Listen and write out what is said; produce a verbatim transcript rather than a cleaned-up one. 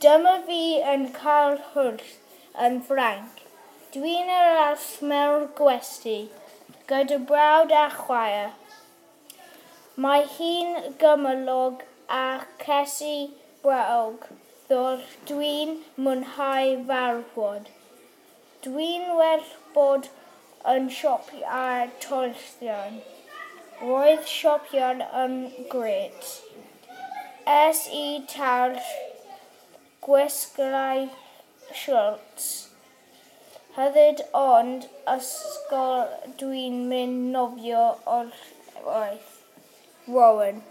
Dyma fi yn cael hwyl yn Ffrainc. Dwi'n aros mewn gwesty gyda brawd a chwaer. Mae hi'n gymylog a ces i brawf ddoe dwi'n mwynhau malwod. Dwi'n wedi bod yn siopa tolltian. Roedd siopa'n yn grêt. Es i tair gwisgais siorts hefyd ond ysgol dwi'n mynd nofio o'r waith. Rowan.